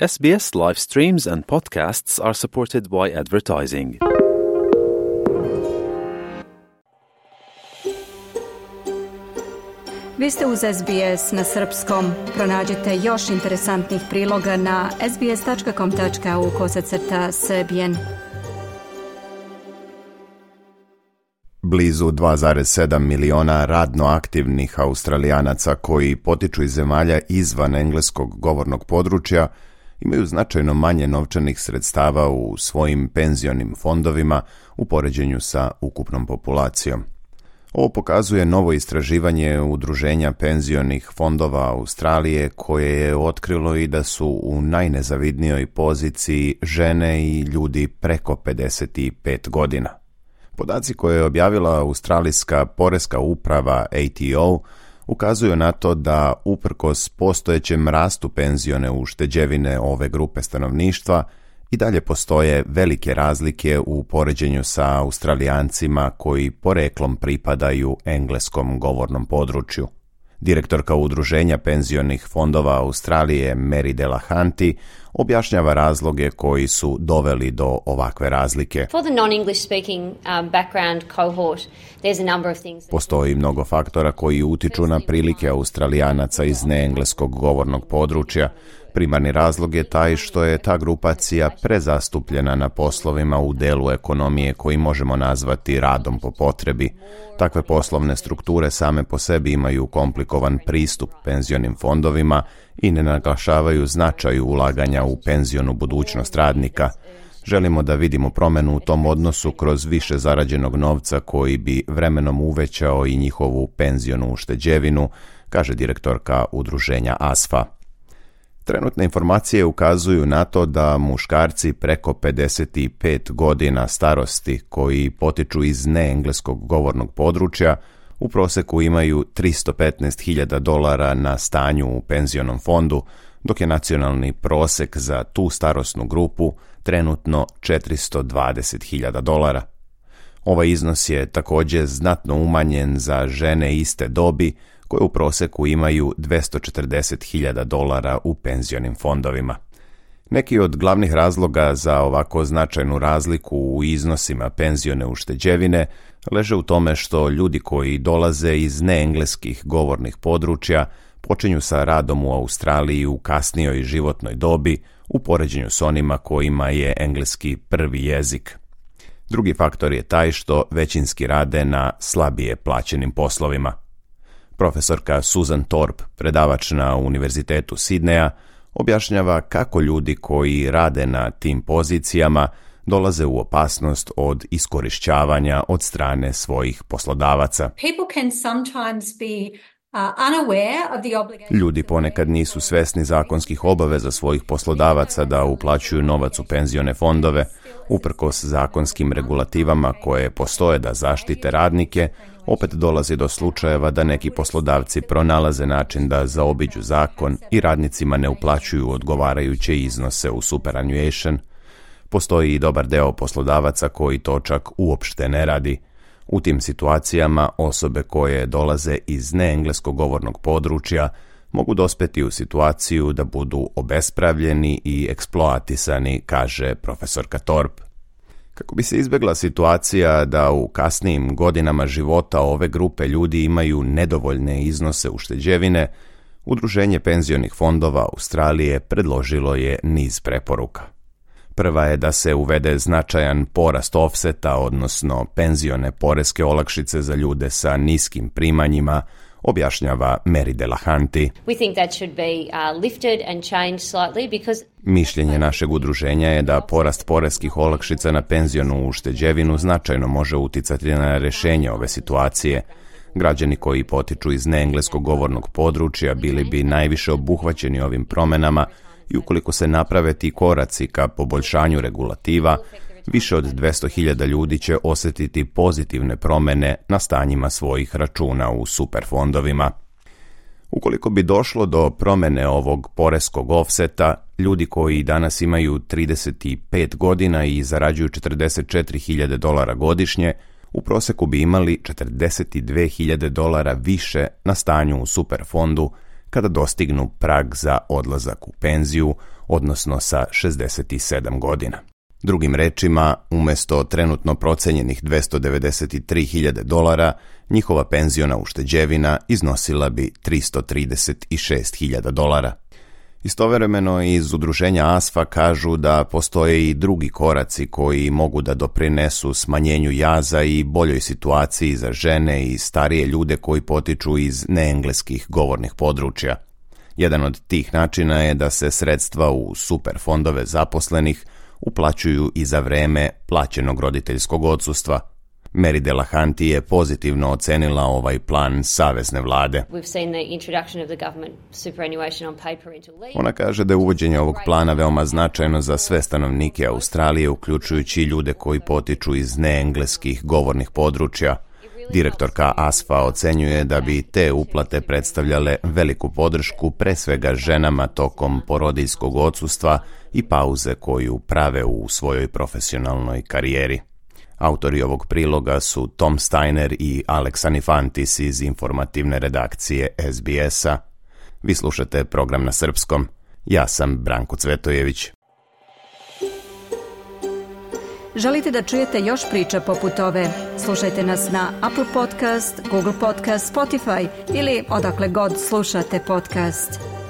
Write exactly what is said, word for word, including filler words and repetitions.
S B S live streams and podcasts are supported by advertising. Vi ste uz S B S na srpskom. Pronađite još interesantnih priloga na sbs.com.au kosacrta srbijen. Blizu dva zarez sedam miliona radno aktivnih Australijanaca koji potiču iz zemalja izvan engleskog govornog područja imaju značajno manje novčanih sredstava u svojim penzionim fondovima u poređenju sa ukupnom populacijom. Ovo pokazuje novo istraživanje Udruženja penzionih fondova Australije koje je otkrilo i da su u najnezavidnijoj poziciji žene i ljudi preko pedeset pet godina. Podaci koje je objavila Australijska poreska uprava A T O ukazuju na to da uprkos postojećem rastu penzione ušteđevine ove grupe stanovništva i dalje postoje velike razlike u poređenju sa Australijancima koji poreklom pripadaju engleskom govornom području. Direktorka Udruženja penzionih fondova Australije Mary Delahanty objašnjava razloge koji su doveli do ovakve razlike. For the non-English speaking um, background cohort, there's a number of things. Postoji mnogo faktora koji utiču na prilike Australijanaca iz neengleskog govornog područja. Primarni razlog je taj što je ta grupacija prezastupljena na poslovima u delu ekonomije koji možemo nazvati radom po potrebi. Takve poslovne strukture same po sebi imaju komplikovan pristup penzionim fondovima i ne naglašavaju značaj ulaganja u penzionu budućnost radnika. Želimo da vidimo promjenu u tom odnosu kroz više zarađenog novca koji bi vremenom uvećao i njihovu penzionu ušteđevinu, kaže direktorka udruženja A S F A. Trenutne informacije ukazuju na to da muškarci preko pedeset pet godina starosti koji potiču iz neengleskog govornog područja u proseku imaju tristo petnaest hiljada dolara na stanju u penzionom fondu, dok je nacionalni prosek za tu starosnu grupu trenutno četiristo dvadeset hiljada dolara. Ovaj iznos je također znatno umanjen za žene iste dobi koje u proseku imaju dvjesto četrdeset hiljada dolara u penzionim fondovima. Neki od glavnih razloga za ovako značajnu razliku u iznosima penzione ušteđevine leže u tome što ljudi koji dolaze iz neengleskih govornih područja počinju sa radom u Australiji u kasnijoj životnoj dobi u poređenju s onima kojima je engleski prvi jezik. Drugi faktor je taj što većinski rade na slabije plaćenim poslovima. Profesorka Susan Thorpe, predavač na Univerzitetu Sidneja, objašnjava kako ljudi koji rade na tim pozicijama dolaze u opasnost od iskorišćavanja od strane svojih poslodavaca. Ljudi ponekad nisu svesni zakonskih obaveza svojih poslodavaca da uplaćuju novac u penzione fondove, uprkos zakonskim regulativama koje postoje da zaštite radnike. Opet dolazi do slučajeva da neki poslodavci pronalaze način da zaobiđu zakon i radnicima ne uplaćuju odgovarajuće iznose u superannuation. Postoji i dobar deo poslodavaca koji to čak uopšte ne radi. U tim situacijama osobe koje dolaze iz neengleskog govornog područja mogu dospeti u situaciju da budu obespravljeni i eksploatisani, kaže profesorka Thorpe. Kako bi se izbjegla situacija da u kasnijim godinama života ove grupe ljudi imaju nedovoljne iznose ušteđevine, Udruženje penzionih fondova Australije predložilo je niz preporuka. Prva je da se uvede značajan porast offseta, odnosno penzione poreske olakšice za ljude sa niskim primanjima, objašnjava Mary Delahanty. We think that should be uh, lifted and changed slightly because Mišljenje našeg udruženja je da porast poreskih olakšica na penzionu ušteđevinu značajno može uticati na rješenje ove situacije. Građani koji potiču iz neengleskog govornog područja bili bi najviše obuhvaćeni ovim promjenama i ukoliko se naprave ti koraci ka poboljšanju regulativa, više od dvjesto hiljada ljudi će osjetiti pozitivne promjene na stanjima svojih računa u superfondovima. Ukoliko bi došlo do promjene ovog poreskog offseta, ljudi koji danas imaju trideset pet godina i zarađuju četrdeset četiri hiljade dolara godišnje, u proseku bi imali četrdeset dvije hiljade dolara više na stanju u superfondu kada dostignu prag za odlazak u penziju, odnosno sa šezdeset sedam godina. Drugim rečima, umjesto trenutno procenjenih dvesta devedeset tri hiljade dolara, njihova penziona ušteđevina iznosila bi tristo trideset šest hiljada dolara. Istovremeno iz udruženja A S F A kažu da postoje i drugi koraci koji mogu da doprinesu smanjenju jaza i boljoj situaciji za žene i starije ljude koji potiču iz neengleskih govornih područja. Jedan od tih načina je da se sredstva u superfondove zaposlenih uplaćuju i za vreme plaćenog roditeljskog odsustva. Mary Delahanty je pozitivno ocenila ovaj plan savezne vlade. Ona kaže da je uvođenje ovog plana veoma značajno za sve stanovnike Australije, uključujući ljude koji potiču iz neengleskih govornih područja. Direktorka A S F A ocenjuje da bi te uplate predstavljale veliku podršku pre svega ženama tokom porodiljskog odsustva i pauze koju prave u svojoj profesionalnoj karijeri. Autori ovog priloga su Tom Steiner i Alex Anifantis iz informativne redakcije S B S-a. Vi slušate program na srpskom. Ja sam Branko Cvetojević. Želite da čujete još priča poput ove? Slušajte nas na Apple Podcast, Google Podcast, Spotify ili odakle god slušate podcast.